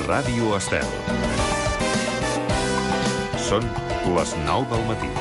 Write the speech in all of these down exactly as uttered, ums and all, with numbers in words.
Ràdio Estel. Són les nou del matí.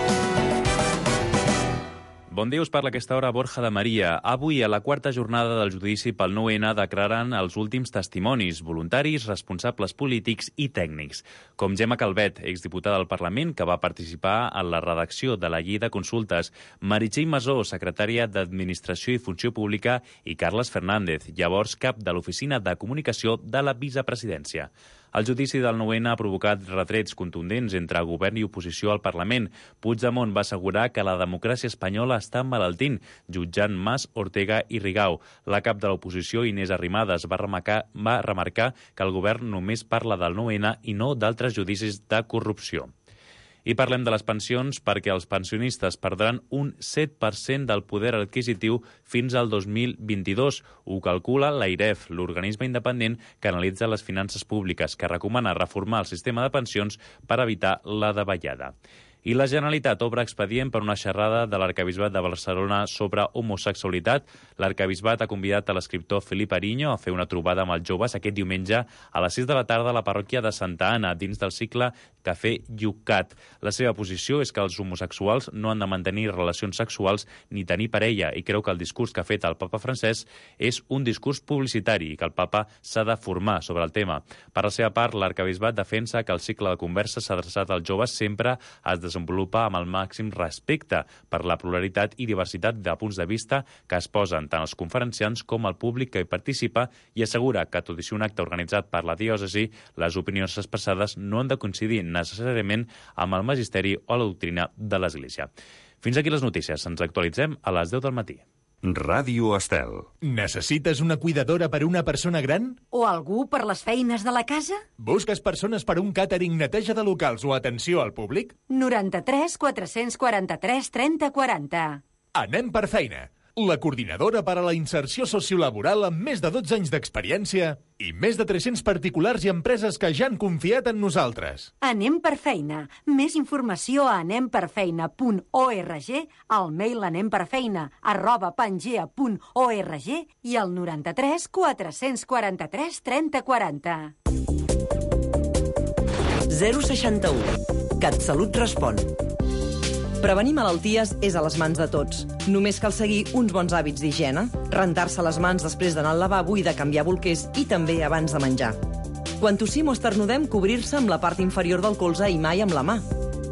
Bon dia, us parla a aquesta hora Borja de Maria. Avui, a la quarta jornada del judici pel nou ene, declaren els últims testimonis, voluntaris, responsables polítics i tècnics, com Gemma Calvet, exdiputada del Parlament, que va participar en la redacció de la llei de consultes, Meritxell Masó, secretària d'Administració i Funció Pública, i Carles Fernández, llavors cap de l'Oficina de Comunicació de la Vicepresidència. El judici del nou ene ha provocat retrets contundents entre govern i oposició al Parlament. Puigdemont va assegurar que la democràcia espanyola està emmalaltint, jutjant Mas, Ortega i Rigau. La cap de l'oposició, Inés Arrimadas, va remarcar, va remarcar que el govern només parla del nou ene i no d'altres judicis de corrupció. I parlem de les pensions perquè els pensionistes perdran un set per cent del poder adquisitiu fins al dos mil vint-i-dos. Ho calcula l'AIREF, l'organisme independent que analitza les finances públiques, que recomana reformar el sistema de pensions per evitar la davallada. I la Generalitat obre expedient per una xerrada de l'Arquebisbat de Barcelona sobre homosexualitat. L'Arquebisbat ha convidat a l'escriptor Felip Ariño a fer una trobada amb els joves aquest diumenge a les sis de la tarda a la parròquia de Santa Anna, dins del cicle Cafè Llucat. La seva posició és que els homosexuals no han de mantenir relacions sexuals ni tenir parella i creu que el discurs que ha fet el papa francès és un discurs publicitari i que el papa s'ha de formar sobre el tema. Per la seva part, l'Arquebisbat defensa que el cicle de converses adreçat als joves sempre es desenvolupa amb el màxim respecte per la pluralitat i diversitat de punts de vista que es posen tant els conferenciants com el públic que hi participa i assegura que, tot i ser un acte organitzat per la diòcesi, les opinions expressades no han de coincidir necessàriament amb el magisteri o la doctrina de l'Església. Fins aquí les notícies. Ens actualitzem a les deu del matí. Ràdio Estel. Necessites una cuidadora per a una persona gran? O algú per les feines de la casa? Busques persones per a un càtering, neteja de locals o atenció al públic? noranta-tres quatre-cents quaranta-tres trenta quaranta. Anem per feina. La coordinadora per a la inserció sociolaboral amb més de dotze anys d'experiència i més de tres-cents particulars i empreses que ja han confiat en nosaltres. Anem per feina. Més informació a anem per feina punt org, al mail anemperfeina arroba pangea punt org i al noranta-tres quatre-cents quaranta-tres trenta quaranta. zero seixanta-u. CatSalut respon. Prevenir malalties és a les mans de tots. Només cal seguir uns bons hàbits d'higiene, rentar-se les mans després d'anar al lavabo i de canviar bolquers i també abans de menjar. Quan tossim o esternudem, cobrir-se amb la part inferior del colze i mai amb la mà.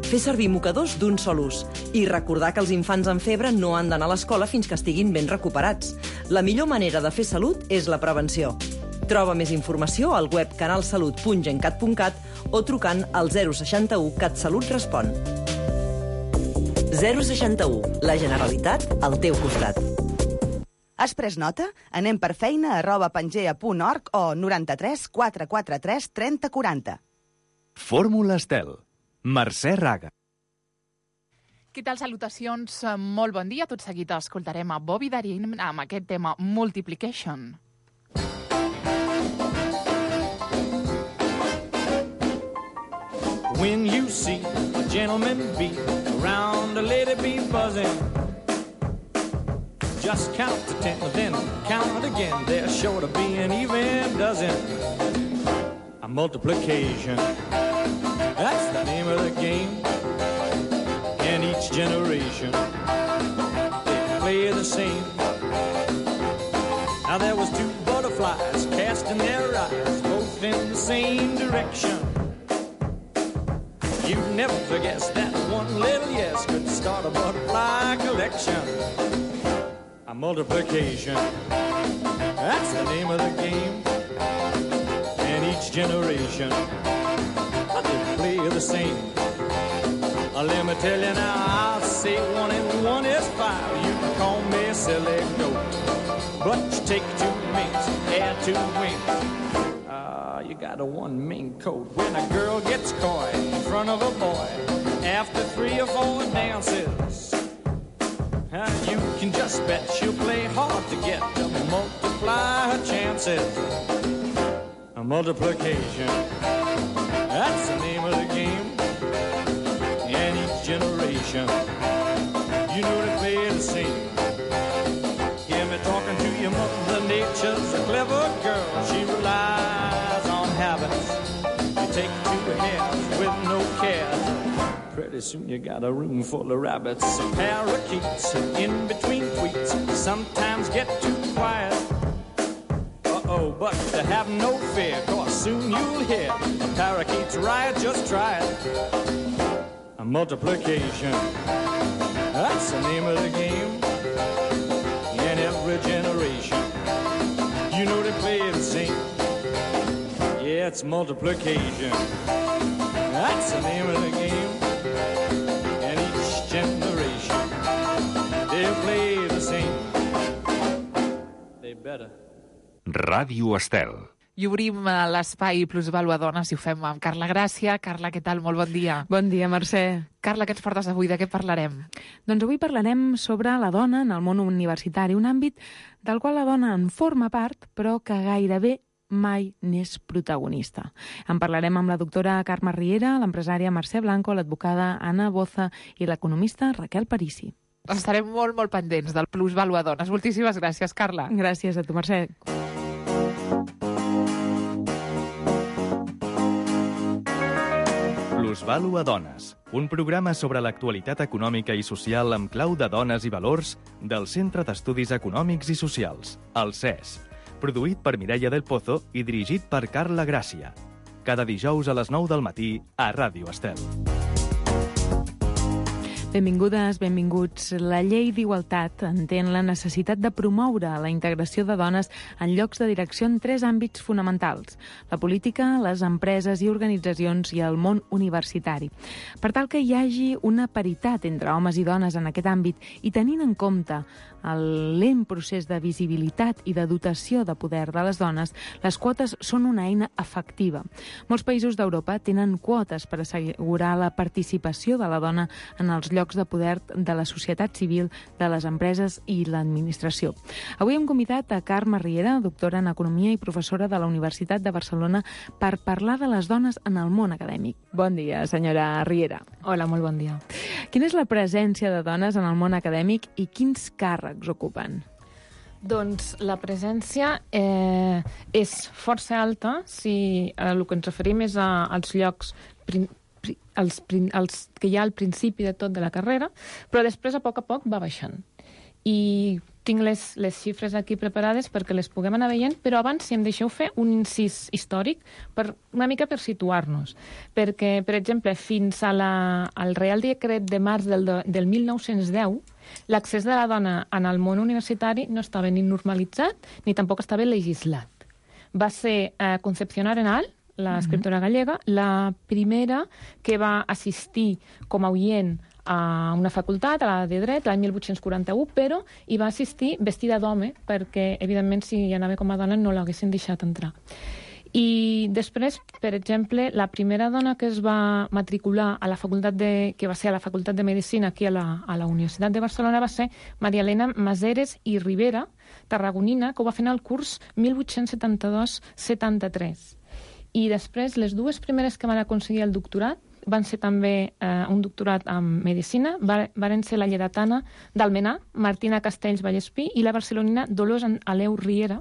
Fer servir mocadors d'un sol ús i recordar que els infants amb febre no han d'anar a l'escola fins que estiguin ben recuperats. La millor manera de fer salut és la prevenció. Troba més informació al web canalsalut punt gencat punt cat o trucant al zero seixanta-u CatSalut respon. zero seixanta-u. La Generalitat al teu costat. Has pres nota? Anem per feina arroba pangea punt org o noranta-tres quatre quaranta-tres trenta quaranta. Fórmula Estel. Mercè Raga. Què tal? Salutacions, molt bon dia. Tot seguit escoltarem a Bobby Darin amb aquest tema Multiplication. When you see a gentleman be around a lady be buzzing, just count to ten, then count again. They're sure to be an even dozen. A multiplication, that's the name of the game. And each generation, they play the same. Now there was two butterflies casting their eyes both in the same direction. You never forget that one little yes could start a butterfly collection. A multiplication, that's the name of the game. And each generation, they play the same. Uh, let me tell you now, I'll say one and one is five. You can call me a silly goat, but you take two minks, add two wings. You got a one mink coat. When a girl gets coy in front of a boy after three or four dances, uh, you can just bet she'll play hard to get to multiply her chances. A multiplication, that's the name of the game. And each generation, you know they play the same. Hear me talking to your mother nature's a clever girl. She relies on habits take two hairs with no cares. Pretty soon you got a room full of rabbits and parakeets, and in between tweets sometimes get too quiet. Uh-oh, but to have no fear, cause soon you'll hear a parakeet's riot, just try it. A multiplication, that's the name of the game. In every generation, you know they play the same. Yeah, it's multiplication, that's the name of the game. And each generation, they'll play the same. They better. Ràdio Estel. I obrim l'espai Plusvàlua Dones i ho fem amb Carla Gràcia. Carla, què tal? Molt bon dia. Bon dia, Mercè. Carla, què ens portes avui? De què parlarem? Doncs avui parlarem sobre la dona en el món universitari, un àmbit del qual la dona en forma part, però que gairebé mai n'és protagonista. En parlarem amb la doctora Carme Riera, l'empresària Mercè Blanco, l'advocada Anna Boza i l'economista Raquel Parisi. Estarem molt, molt pendents del Plusvàlua Dones. Moltíssimes gràcies, Carla. Gràcies a tu, Mercè. Plusvàlua Dones, un programa sobre l'actualitat econòmica i social amb clau de dones i valors del Centre d'Estudis Econòmics i Socials, el C E S, produït per Mireia del Pozo i dirigit per Carla Gràcia. Cada dijous a les nou del matí a Ràdio Estel. Benvingudes, benvinguts. La llei d'igualtat entén la necessitat de promoure la integració de dones en llocs de direcció en tres àmbits fonamentals: la política, les empreses i organitzacions i el món universitari. Per tal que hi hagi una paritat entre homes i dones en aquest àmbit i tenint en compte el lent procés de visibilitat i de dotació de poder de les dones, les quotes són una eina efectiva. Molts països d'Europa tenen quotes per assegurar la participació de la dona en els llocs de poder de la societat civil, de les empreses i l'administració. Avui hem convidat a Carme Riera, doctora en Economia i professora de la Universitat de Barcelona, per parlar de les dones en el món acadèmic. Bon dia, senyora Riera. Hola, molt bon dia. Quina és la presència de dones en el món acadèmic i quins càrrecs ocupen? Doncs la presència eh, és força alta si eh, el que ens referim és a, als llocs prin, pri, els, prin, els que hi ha al principi de tot de la carrera, però després a poc a poc va baixant. I tinc les, les xifres aquí preparades perquè les puguem anar veient, però abans, si em deixeu fer un incís històric, per, una mica per situar-nos. Perquè, per exemple, fins a la, al Reial Decret de març del, del mil nou-cents deu, l'accés de la dona en el món universitari no estava ni normalitzat ni tampoc estava legislat. Va ser eh, Concepción Arenal, l'escriptora gallega, la primera que va assistir com a oient a una facultat, a la de dret, l'any mil vuit-cents quaranta-u, però hi va assistir vestida d'home, perquè, evidentment, si hi anava com a dona no l'haguessin deixat entrar. I després, per exemple, la primera dona que es va matricular a la facultat de, que va ser a la Facultat de Medicina aquí a la, a la Universitat de Barcelona va ser Maria Elena Maseres i Rivera, tarragonina, que ho va fer en el curs mil vuit-cents setanta-dos setanta-tres. I després, les dues primeres que van aconseguir el doctorat van ser també eh, un doctorat en Medicina, va, varen ser la lleidatana d'Almenar, Martina Castells Vallespí, i la barcelonina Dolors Aleu Riera,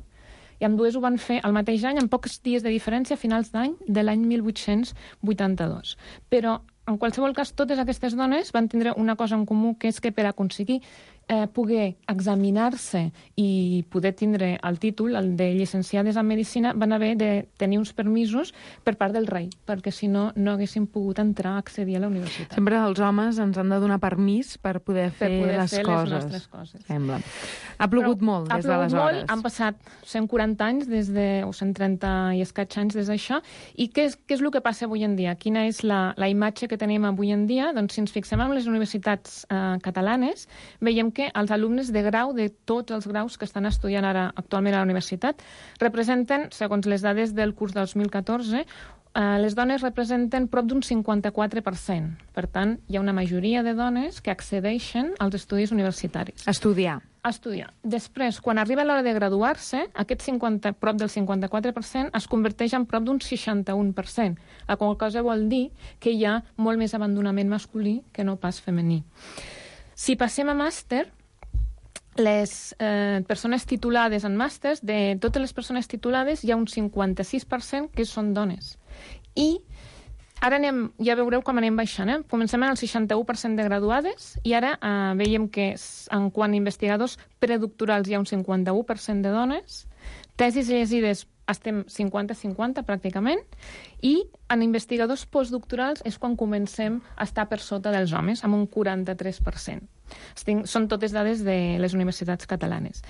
i amb dues ho van fer el mateix any, amb pocs dies de diferència, a finals d'any de l'any mil vuit-cents vuitanta-dos. Però, en qualsevol cas, totes aquestes dones van tindre una cosa en comú, que és que per aconseguir eh, poder examinar-se i poder tindre el títol, el de llicenciades en Medicina, van haver de tenir uns permisos per part del rei, perquè si no, no haguessin pogut entrar a accedir a la universitat. Sempre els homes ens han de donar permís per poder fer, per poder les, fer coses. les nostres coses. Sembla. Ha plogut Però, molt des d'aleshores. Ha plogut molt, han passat cent quaranta anys, des de, o cent trenta i escaig anys des d'això, i què és, què és el que passa avui en dia? Quina és la, la imatge que tenim avui en dia? Doncs si ens fixem en les universitats eh, catalanes, veiem que els alumnes de grau, de tots els graus que estan estudiant ara actualment a la universitat, representen, segons les dades del curs dos mil catorze, eh, les dones representen prop d'un cinquanta-quatre per cent. Per tant, hi ha una majoria de dones que accedeixen als estudis universitaris. Estudiar. Estudiar. Després, quan arriba l'hora de graduar-se, aquest cinquanta, prop del cinquanta-quatre per cent es converteix en prop d'un seixanta-un per cent, la qual cosa vol dir que hi ha molt més abandonament masculí que no pas femení. Si passem a màster, les eh, persones titulades en màsters, de totes les persones titulades hi ha un cinquanta-sis per cent que són dones. I ara anem, ja veureu com anem baixant, eh? Comencem en el seixanta-u per cent de graduades i ara eh, veiem que en quant a investigadors predoctorals hi ha un cinquanta-u per cent de dones, tesis llegides estem cinquanta cinquanta pràcticament, i en investigadors postdoctorals és quan comencem a estar per sota dels homes, amb un quaranta-tres per cent. Estic, són totes dades de les universitats catalanes.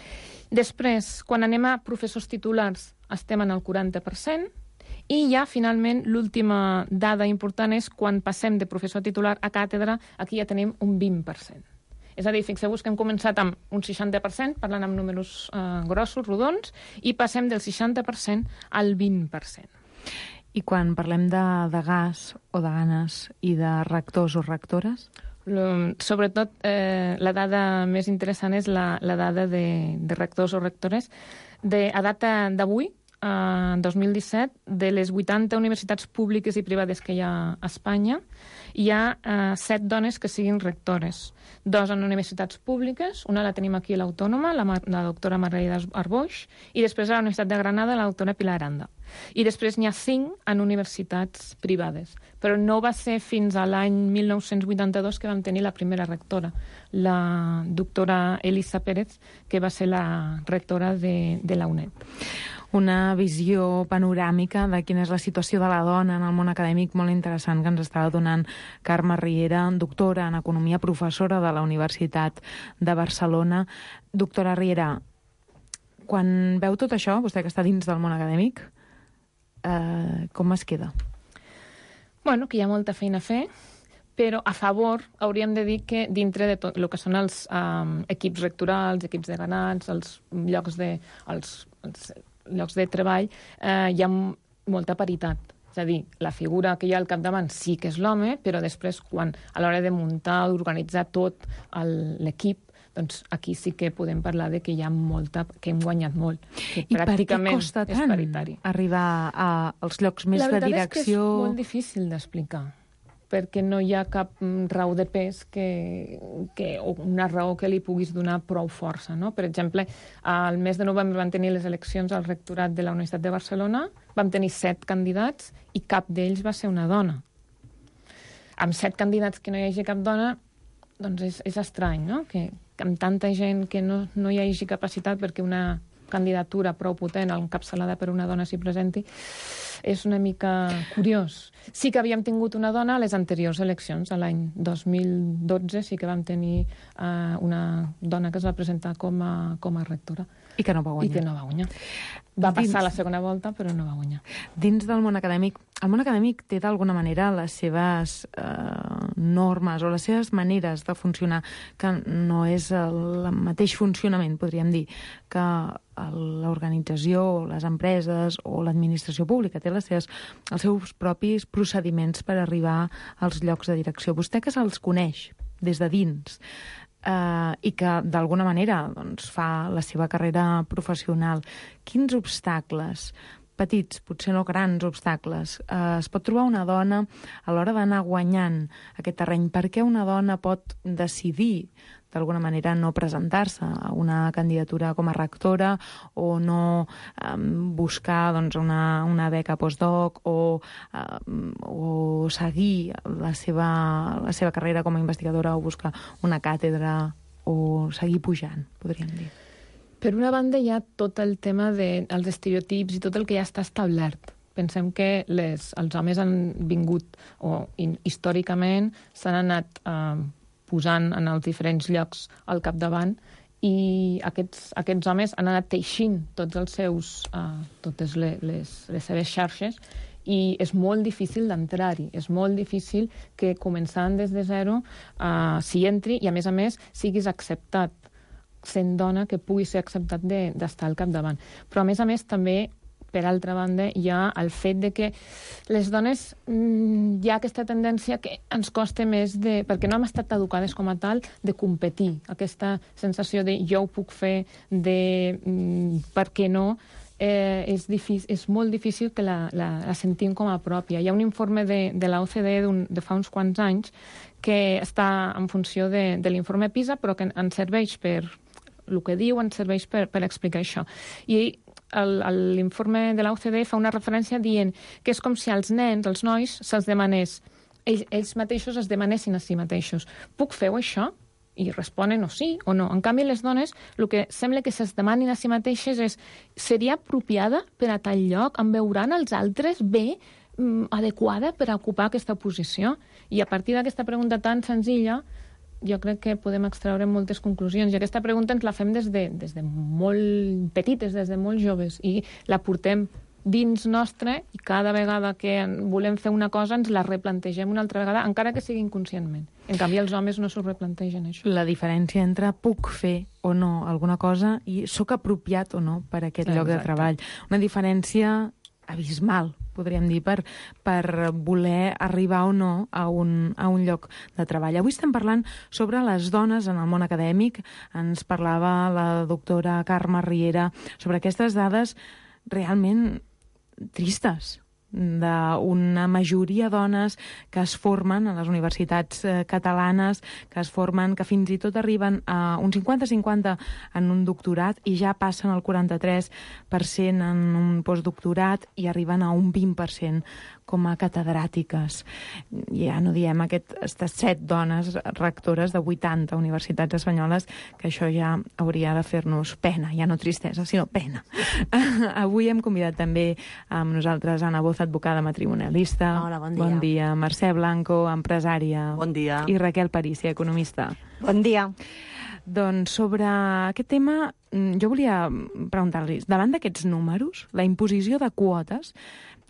Després, quan anem a professors titulars, estem en el quaranta per cent, i ja, finalment, l'última dada important és quan passem de professor titular a càtedra, aquí ja tenim un vint per cent. És a dir, fixeu-vos que hem començat amb un seixanta per cent, parlant amb números eh, grossos, rodons, i passem del seixanta per cent al vint per cent. I quan parlem de, de gas o de ganes i de rectors o rectores? L- sobretot, eh, la dada més interessant és la, la dada de, de rectors o rectores. De, a data d'avui, en dos mil disset, de les vuitanta universitats públiques i privades que hi ha a Espanya, hi ha eh, set dones que siguin rectores. Dos en universitats públiques, una la tenim aquí a l'Autònoma, la, la doctora Margarida Arboix, i després a la Universitat de Granada, la doctora Pilar Aranda. I després n'hi ha cinc en universitats privades. Però no va ser fins a l'any mil nou-cents vuitanta-dos que vam tenir la primera rectora, la doctora Elisa Pérez, que va ser la rectora de, de la U N E D. Una visió panoràmica de quina és la situació de la dona en el món acadèmic molt interessant que ens estava donant Carme Riera, doctora en Economia, professora de la Universitat de Barcelona. Doctora Riera, quan veu tot això, vostè que està dins del món acadèmic, eh, com es queda? Bueno, que hi ha molta feina a fer, però a favor hauríem de dir que dintre de tot el que són els um, equips rectorals, equips de ganats, els llocs de... Els, els, llocs de treball, eh, hi ha molta paritat. És a dir, la figura que hi ha al capdavant sí que és l'home, però després, quan a l'hora de muntar, d'organitzar tot l'equip, doncs aquí sí que podem parlar de que hi ha molta, que hem guanyat molt. Que I per què costa tant arribar a, als llocs més de direcció? La veritat és que és molt difícil d'explicar, perquè no hi ha cap raó de pes que, que, o una raó que li puguis donar prou força. No? Per exemple, al mes de novembre van tenir les eleccions al rectorat de la Universitat de Barcelona, vam tenir set candidats i cap d'ells va ser una dona. Amb set candidats que no hi hagi cap dona, doncs és, és estrany, no? Que, que amb tanta gent que no, no hi hagi capacitat perquè una candidatura prou potent, encapçalada per una dona s'hi presenti, és una mica curiós. Sí que havíem tingut una dona a les anteriors eleccions, a l'any dos mil dotze sí que vam tenir uh, una dona que es va presentar com a, com a rectora. I que no va guanyar. I que no va guanyar. Va Dins... passar la segona volta, però no va guanyar. Dins del món acadèmic, el món acadèmic té d'alguna manera les seves eh, normes o les seves maneres de funcionar, que no és el mateix funcionament, podríem dir, que l'organització, les empreses o l'administració pública. Té les seves, els seus propis procediments per arribar als llocs de direcció. Vostè que se'ls coneix des de dins, Uh, i que d'alguna manera doncs, fa la seva carrera professional, quins obstacles, petits, potser no grans obstacles, uh, es pot trobar una dona a l'hora d'anar guanyant aquest terreny? Per què una dona pot decidir d'alguna manera no presentar-se a una candidatura com a rectora o no um, buscar doncs, una, una beca postdoc o, um, o seguir la seva, la seva carrera com a investigadora o buscar una càtedra o seguir pujant, podríem dir? Per una banda hi ha tot el tema dels de, estereotips i tot el que ja està establert. Pensem que les, els homes han vingut, o in, històricament s'han anat eh, posant en els diferents llocs al capdavant i aquests, aquests homes han anat teixint tots els seus, uh, totes les, les, les seves xarxes i és molt difícil d'entrar-hi, és molt difícil que començant des de zero uh, s'hi entri i a més a més siguis acceptat sent dona, que pugui ser acceptat d'estar al capdavant. Però a més a més també per altra banda, hi ha el fet de que les dones mmm, hi ha aquesta tendència que ens costa més de... perquè no hem estat educades com a tal de competir. Aquesta sensació de jo ho puc fer, de mmm, per què no, eh, és, difícil, és molt difícil que la, la, la sentim com a pròpia. Hi ha un informe de, de la O C D E de fa uns quants anys que està en funció de, de l'informe PISA, però que ens serveix per... el que diu ens serveix per, per explicar això. I l'informe de l'O C D E fa una referència dient que és com si als nens, als nois, se'ls demanés, ells, ells mateixos es demanessin a si mateixos. Puc fer això? I responen o sí o no. En canvi, les dones, el que sembla que se'ls demanin a si mateixes és seria apropiada per a tal lloc? Em veuran els altres bé, mm, adequada per a ocupar aquesta posició? I a partir d'aquesta pregunta tan senzilla, jo crec que podem extraure moltes conclusions. I aquesta pregunta ens la fem des de, des de molt petites, des de molt joves, i la portem dins nostre, i cada vegada que volem fer una cosa ens la replantegem una altra vegada, encara que sigui inconscientment. En canvi, els homes no s'ho replantegen, això. La diferència entre puc fer o no alguna cosa i sóc apropiat o no per a aquest lloc de treball. Una diferència abismal, podríem dir, per, per voler arribar o no a un, a un lloc de treball. Avui estem parlant sobre les dones en el món acadèmic. Ens parlava la doctora Carme Riera sobre aquestes dades realment tristes d'una majoria dones que es formen a les universitats eh, catalanes, que es formen, que fins i tot arriben a un cinquanta cinquanta en un doctorat i ja passen el quaranta-tres per cent en un postdoctorat i arriben a un vint per cent com a catedràtiques. Ja no diem aquestes set dones rectores de vuitanta universitats espanyoles, que això ja hauria de fer-nos pena, ja no tristesa, sinó pena. Avui hem convidat també amb nosaltres Anna Boza, advocada matrimonialista. Hola, bon dia. Bon dia. Mercè Blanco, empresària. Bon dia. I Raquel Parícia, economista. Bon dia. Doncs sobre aquest tema jo volia preguntar-los, davant d'aquests números, la imposició de quotes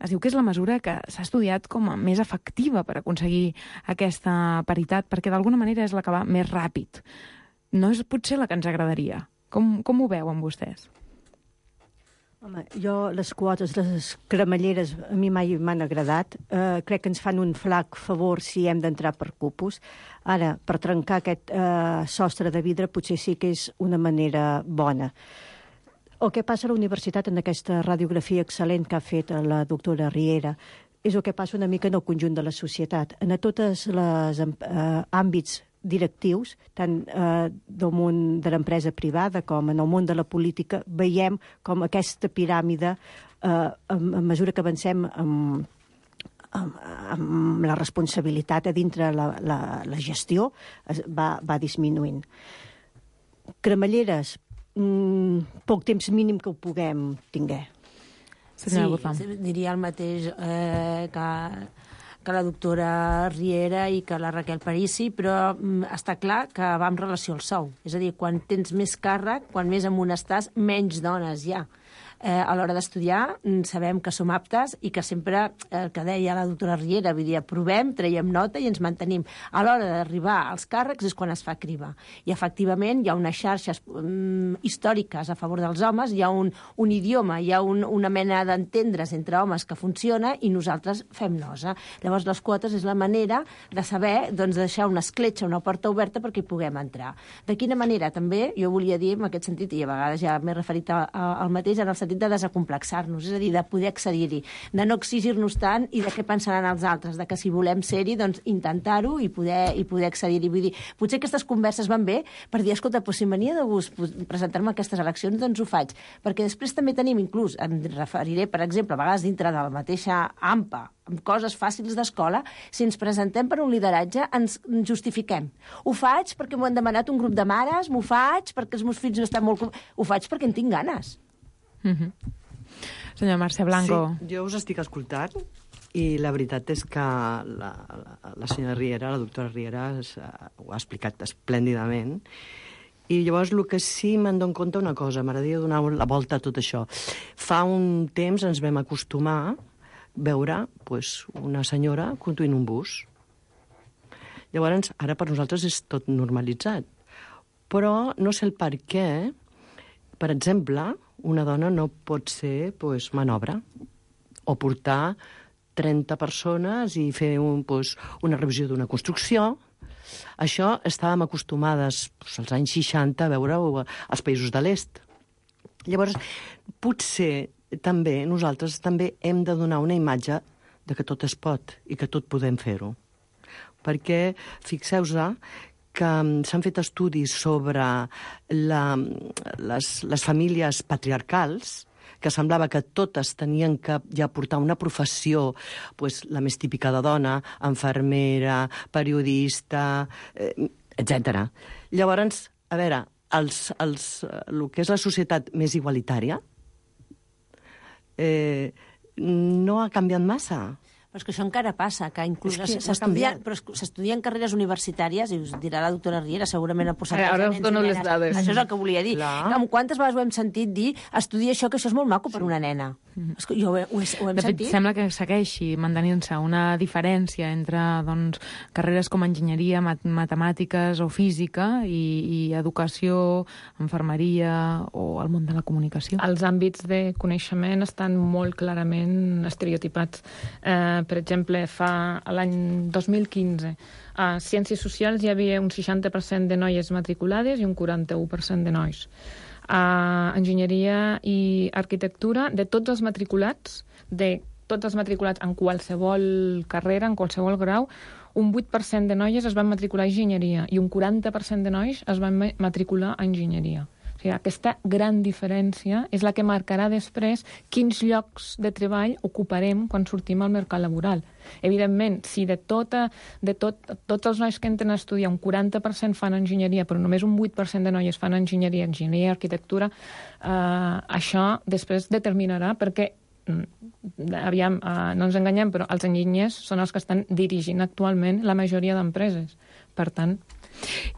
es diu que és la mesura que s'ha estudiat com a més efectiva per aconseguir aquesta paritat, perquè d'alguna manera és la que va més ràpid. No és potser la que ens agradaria. Com, com ho veuen vostès? Home, jo les quotes, les cremalleres, a mi mai m'han agradat. Eh, crec que ens fan un flac favor si hem d'entrar per cupos. Ara, per trencar aquest eh, sostre de vidre potser sí que és una manera bona. El que passa a la universitat en aquesta radiografia excel·lent que ha fet la doctora Riera és el que passa una mica en el conjunt de la societat. En tots els eh, àmbits directius, tant eh, del món de l'empresa privada com en el món de la política, veiem com aquesta piràmide, eh, a, a mesura que avancem amb, amb, amb la responsabilitat a dintre la, la, la gestió, es, va, va disminuint. Cremalleres, mm, poc temps mínim que ho puguem tinguer. Sí, diria el mateix eh, que... que la doctora Riera i que la Raquel Parícia, però mm, està clar que va en relació al sou. És a dir, quan tens més càrrec, quan més amunt estàs, menys dones hi ha. Eh, a l'hora d'estudiar sabem que som aptes i que sempre, el que deia la doctora Riera, vull dir, provem, traiem nota i ens mantenim. A l'hora d'arribar als càrrecs és quan es fa criba. I efectivament hi ha unes xarxes um, històriques a favor dels homes, hi ha un, un idioma, hi ha un, una mena d'entendre's entre homes que funciona i nosaltres fem nosa. Llavors les quotes és la manera de saber, doncs, deixar una escletxa, una porta oberta perquè hi puguem entrar. De quina manera també, jo volia dir en aquest sentit, i a vegades ja m'he referit a, a, al mateix, en el sentit de desacomplexar-nos, és a dir, de poder accedir-hi, de no exigir-nos tant i de què pensaran els altres, de que si volem ser-hi, doncs intentar-ho i poder, i poder accedir-hi. Vull dir, potser aquestes converses van bé per dir, escolta, doncs si m'ania de gust presentar-me a aquestes eleccions, doncs ho faig. Perquè després també tenim, inclús, em referiré, per exemple, a vegades dintre de la mateixa A M P A, amb coses fàcils d'escola, si ens presentem per un lideratge, ens justifiquem. Ho faig perquè m'ho han demanat un grup de mares, m'ho faig perquè els meus fills no estan molt... Ho faig perquè en tinc ganes. Mm-hmm. Senyor Mercè Blanco. Sí, jo us estic escoltant i la veritat és que la, la, la senyora Riera, la doctora Riera, es, uh, ho ha explicat esplèndidament. I llavors el que sí me'n dono compte una cosa, m'agradaria donar la volta a tot això. Fa un temps ens vam acostumar a veure pues, una senyora conduint un bus. Llavors, ara per nosaltres és tot normalitzat. Però no sé el per què, per exemple, una dona no pot ser pues, manobra o portar trenta persones i fer un, pues, una revisió d'una construcció. Això estàvem acostumades pues, als anys seixanta a veure als països de l'est. Llavors, potser també nosaltres també hem de donar una imatge de que tot es pot i que tot podem fer-ho. Perquè, fixeu-vos que s'han fet estudis sobre la, les, les famílies patriarcals que semblava que totes tenien que ja portar una professió, pues, la més típica de dona, infermera, periodista, eh, etcètera. Llavors, a veure, els, els, el que és la societat més igualitària eh, no ha canviat massa. Però és que això encara passa, que inclús És que s'estudien, però s'estudien carreres universitàries, i us dirà la doctora Riera, segurament el percentatge Ara de us nens dono i les nenes. dades. Això és el que volia dir. Clar. Amb quantes vegades ho hem sentit dir, estudia això, que això és molt maco per una nena. És que jo ho, he, ho, he, ho hem De fet, sentit. sembla que segueixi mantenint-se una diferència entre doncs, carreres com enginyeria, mat matemàtiques o física i, i educació, infermeria o el món de la comunicació. Els àmbits de coneixement estan molt clarament estereotipats. Eh, per exemple, fa l'any dos mil quinze a Ciències Socials hi havia un seixanta per cent de noies matriculades i un quaranta-u per cent de nois. A Enginyeria i Arquitectura, de tots els matriculats, de tots els matriculats en qualsevol carrera, en qualsevol grau, un vuit per cent de noies es van matricular a Enginyeria i un quaranta per cent de nois es van matricular a Enginyeria. O sigui, aquesta gran diferència és la que marcarà després quins llocs de treball ocuparem quan sortim al mercat laboral. Evidentment, si de, tota, de tot, tots els nois que entren a estudiar un quaranta per cent fan enginyeria, però només un vuit per cent de noies fan enginyeria, enginyeria i arquitectura, eh, això després determinarà perquè aviam, eh, no ens enganyem, però els enginyers són els que estan dirigint actualment la majoria d'empreses. Per tant,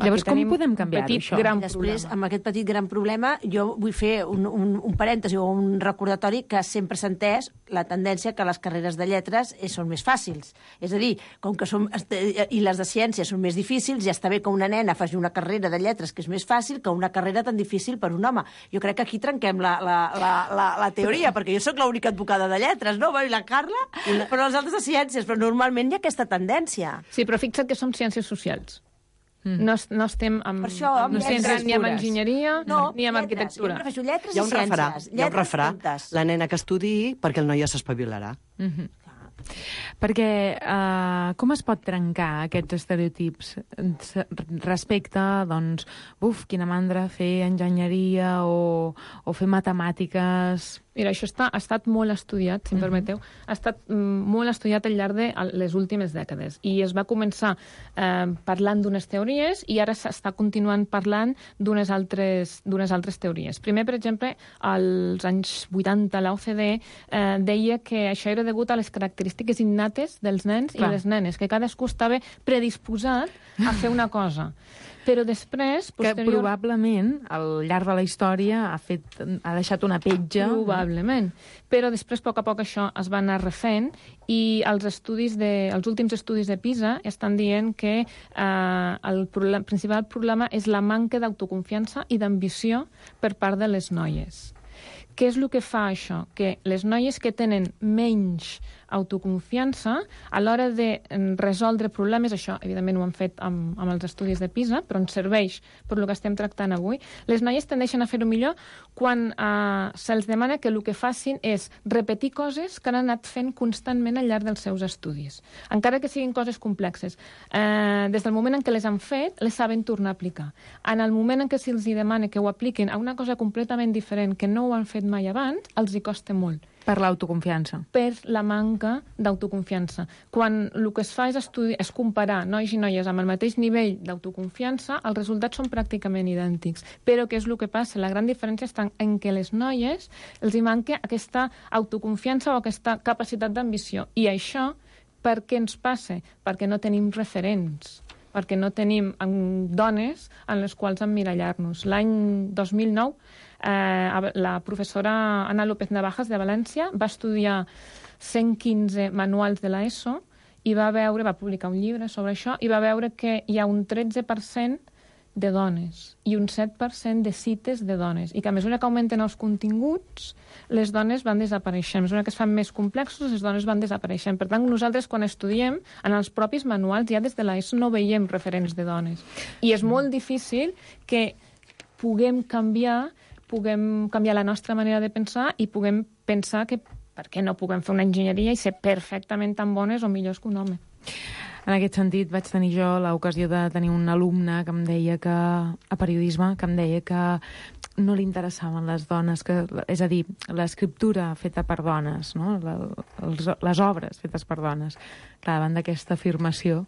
llavors, com podem canviar-ho, això? Gran Després, problema. Amb aquest petit gran problema, jo vull fer un, un, un parèntesi o un recordatori que sempre s'ha entès la tendència que les carreres de lletres són més fàcils. És a dir, com que som, i les de ciències són més difícils, ja està bé que una nena faci una carrera de lletres que és més fàcil que una carrera tan difícil per un home. Jo crec que aquí trenquem la, la, la, la, la teoria, perquè jo sóc l'única advocada de lletres, no? I la Carla, però els altres de ciències, però normalment hi ha aquesta tendència. Sí, però fixa't que som ciències socials. Mm. No, no estem amb, per això, amb no estem ni amb enginyeria no, ni amb lletres. arquitectura. Jo prefereixo lletres hi ha un i refrà, ciències. Hi ha un refrà, la nena que estudiï perquè el noi ja s'espavilarà. Mm-hmm. Perquè uh, com es pot trencar aquests estereotips respecte, doncs, buf, quina mandra fer enginyeria o, o fer matemàtiques... Mira, això està, ha estat molt estudiat, si em permeteu, ha estat mm, molt estudiat al llarg de les últimes dècades. I es va començar eh, parlant d'unes teories i ara s'està continuant parlant d'unes altres, d'unes altres teories. Primer, per exemple, als anys vuitanta, la O C D E eh, deia que això era degut a les característiques innates dels nens Clar. I les nenes, que cadascú estava predisposat a fer una cosa. Però després, posterior... Que probablement, al llarg de la història, ha, fet, ha deixat una petja... Probablement. Però després, a poc a poc, això es va anar refent i els, estudis de, els últims estudis de PISA estan dient que eh, el problem, principal problema és la manca d'autoconfiança i d'ambició per part de les noies. Què és el que fa això? Que les noies que tenen menys autoconfiança, a l'hora de resoldre problemes, això evidentment ho han fet amb, amb els estudis de PISA, però ens serveix per el que estem tractant avui, les noies tendeixen a fer-ho millor quan eh, se'ls demana que el que facin és repetir coses que han anat fent constantment al llarg dels seus estudis, encara que siguin coses complexes. Eh, des del moment en què les han fet, les saben tornar a aplicar. En el moment en què se'ls demana que ho apliquin a una cosa completament diferent que no ho han fet mai abans, els hi costa molt. Per l'autoconfiança. Per la manca d'autoconfiança. Quan el que es fa és, estudi és comparar nois i noies amb el mateix nivell d'autoconfiança, els resultats són pràcticament idèntics. Però què és el que passa? La gran diferència està en què les noies els hi manca aquesta autoconfiança o aquesta capacitat d'ambició. I això, per què ens passa? Perquè no tenim referents, perquè no tenim dones en les quals emmirallar-nos. L'any dos mil nou, eh, la professora Ana López Navajas de València va estudiar cent quinze manuals de l'ESO i va veure, va publicar un llibre sobre això, i va veure que hi ha un tretze per cent de dones i un set per cent de cites de dones, i que a mesura que augmenten els continguts, les dones van desapareixent. A mesura que es fan més complexos, les dones van desapareixent. Per tant, nosaltres, quan estudiem, en els propis manuals, ja des de l'ESO no veiem referents de dones. I és molt difícil que puguem canviar, puguem canviar la nostra manera de pensar i puguem pensar que per què no puguem fer una enginyeria i ser perfectament tan bones o millors que un home. En aquest sentit, vaig tenir jo l'ocasió de tenir un alumne que em deia que, a periodisme, que em deia que no li interessaven les dones, que, és a dir, l'escriptura feta per dones, no? La, els, les obres fetes per dones. Clar, davant d'aquesta afirmació...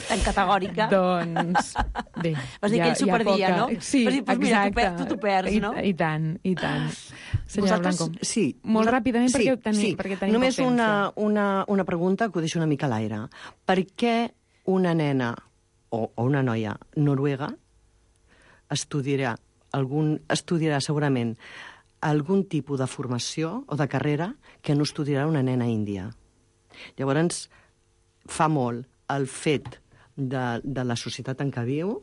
Tan categòrica. Doncs, bé... Vas dir que ell s'ho perdia, no? Sí, Vas dir, pues mira, tu, tu t'ho perds, no? I, I tant, i tant. Senyora Blanco. Sí. Molt Vosaltres... ràpidament, sí, perquè, tenim, sí. perquè tenim Només poc temps. una, una, una pregunta que ho deixo una mica a l'aire. Per què una nena o, o una noia noruega estudiarà, algun, estudiarà segurament algun tipus de formació o de carrera que no estudiarà una nena índia? Llavors, fa molt el fet de, de la societat en què viu,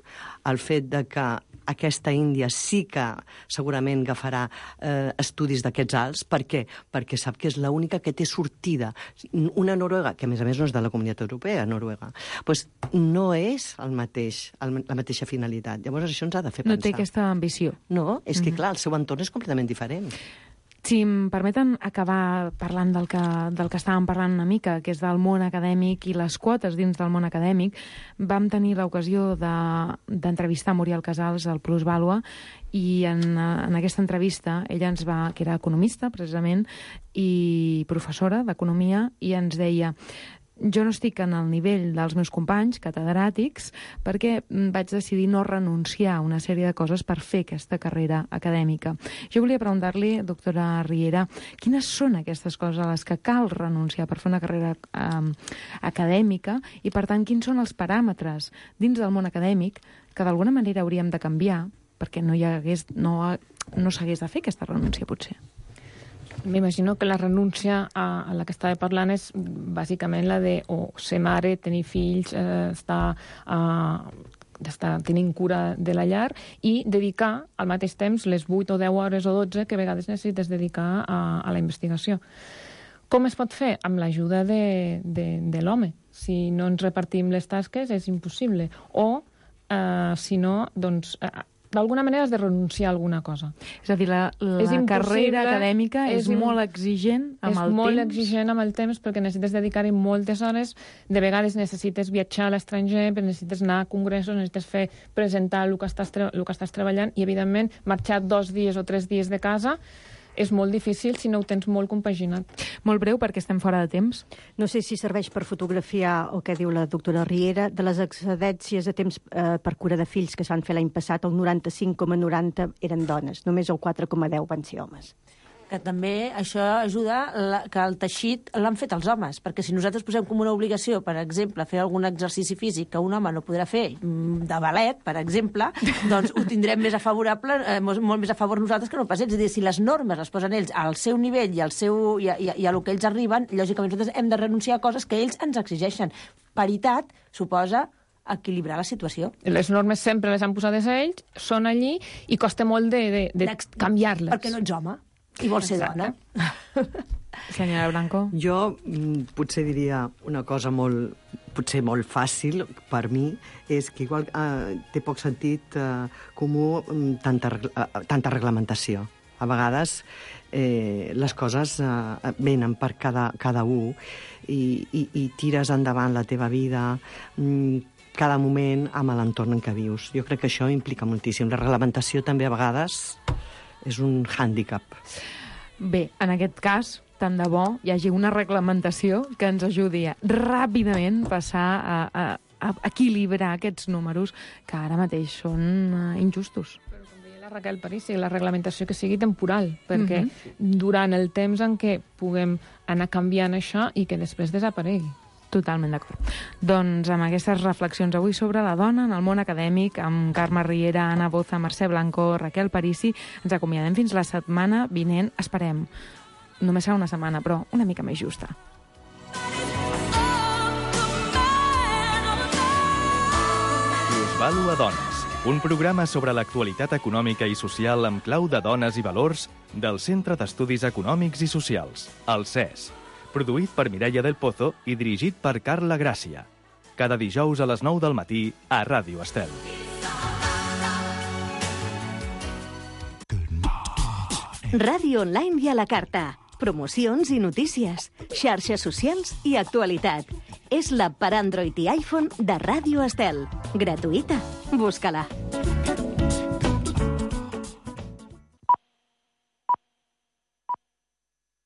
el fet de que aquesta Índia sí que segurament agafarà eh, estudis d'aquests alts. Per què? Perquè sap que és l'única que té sortida. Una noruega, que a més a més no és de la Comunitat Europea, Noruega, doncs no és el mateix, el, la mateixa finalitat. Llavors això ens ha de fer No pensar. té aquesta ambició. No, és que Mhm. clar, el seu entorn és completament diferent. Si em permeten acabar parlant del que, del que estàvem parlant una mica, que és del món acadèmic i les quotes dins del món acadèmic, vam tenir l'ocasió d'entrevistar de, Muriel Casals al Plusvàlua i en, en aquesta entrevista ella ens va, que era economista precisament i professora d'economia, i ens deia: jo no estic en el nivell dels meus companys catedràtics perquè vaig decidir no renunciar a una sèrie de coses per fer aquesta carrera acadèmica. Jo volia preguntar-li, doctora Riera, quines són aquestes coses a les que cal renunciar per fer una carrera eh, acadèmica i, per tant, quins són els paràmetres dins del món acadèmic que d'alguna manera hauríem de canviar perquè no hi hagués, no, no s'hagués de fer aquesta renúncia, potser. M'imagino que la renúncia a, a la que estava parlant és bàsicament la de o ser mare, tenir fills, eh, estar, eh, estar tenint cura de la llar i dedicar al mateix temps les vuit o deu hores o dotze que a vegades necessites dedicar a, a la investigació. Com es pot fer? Amb l'ajuda de, de, de l'home. Si no ens repartim les tasques és impossible. O, eh, si no, doncs... Eh, d'alguna manera has de renunciar a alguna cosa. És a dir, la, la carrera acadèmica és, és molt exigent amb el temps. És molt exigent amb el temps perquè necessites dedicar-hi moltes hores. De vegades necessites viatjar a l'estranger, necessites anar a congressos, necessites fer presentar el que estàs, el que estàs treballant i, evidentment, marxar dos dies o tres dies de casa és molt difícil si no ho tens molt compaginat. Molt breu, perquè estem fora de temps. No sé si serveix per fotografiar el que diu la doctora Riera. De les excedències de temps eh, per cura de fills que s'han fet l'any passat, el noranta-cinc coma noranta eren dones, només el quatre coma deu van ser homes. Que també això ajuda la, que el teixit l'han fet els homes, perquè si nosaltres posem com una obligació, per exemple, fer algun exercici físic que un home no podrà fer, de ballet, per exemple, doncs ho tindrem més a favorable, eh, molt més a favor nosaltres que no pas ells. És a dir, si les normes les posen ells al seu nivell i, al seu, i, a, i a lo que ells arriben, lògicament nosaltres hem de renunciar a coses que ells ens exigeixen. Paritat suposa equilibrar la situació. Les normes sempre les han posades ells, són allí i costa molt de, de, de canviar-les. Perquè no ets home i vols ser dona. Senyora Blanco. Jo mm, potser diria una cosa molt, potser molt fàcil per mi, és que igual eh, té poc sentit eh, comú mm, tanta, eh, tanta reglamentació. A vegades eh, les coses eh, venen per cada, cada un i, i, i tires endavant la teva vida mm, cada moment amb l'entorn en què vius. Jo crec que això implica moltíssim. La reglamentació també a vegades és un hàndicap. Bé, en aquest cas, tant de bo hi hagi una reglamentació que ens ajudi a ràpidament passar a, a, a equilibrar aquests números que ara mateix són uh, injustos. Però com deia la Raquel Parisi, la reglamentació que sigui temporal, perquè Mhm. durant el temps en què puguem anar canviant això i que després desaparegui. Totalment d'acord. Doncs amb aquestes reflexions avui sobre la dona en el món acadèmic, amb Carme Riera, Anna Boza, Mercè Blanco, Raquel Parisi, ens acomiadem fins la setmana vinent. Esperem, només serà una setmana, però una mica més justa. Plusvàlua Dones, un programa sobre l'actualitat econòmica i social amb clau de dones i valors del Centre d'Estudis Econòmics i Socials, el C E S. Produït per Mireia del Pozo i dirigit per Carla Gràcia. Cada dijous a les nou del matí a Ràdio Estel. Ràdio online i a la carta. promocions i notícies, xarxes socials i actualitat. És l'app per Android i iPhone de Ràdio Estel. Gratuïta. Busca-la.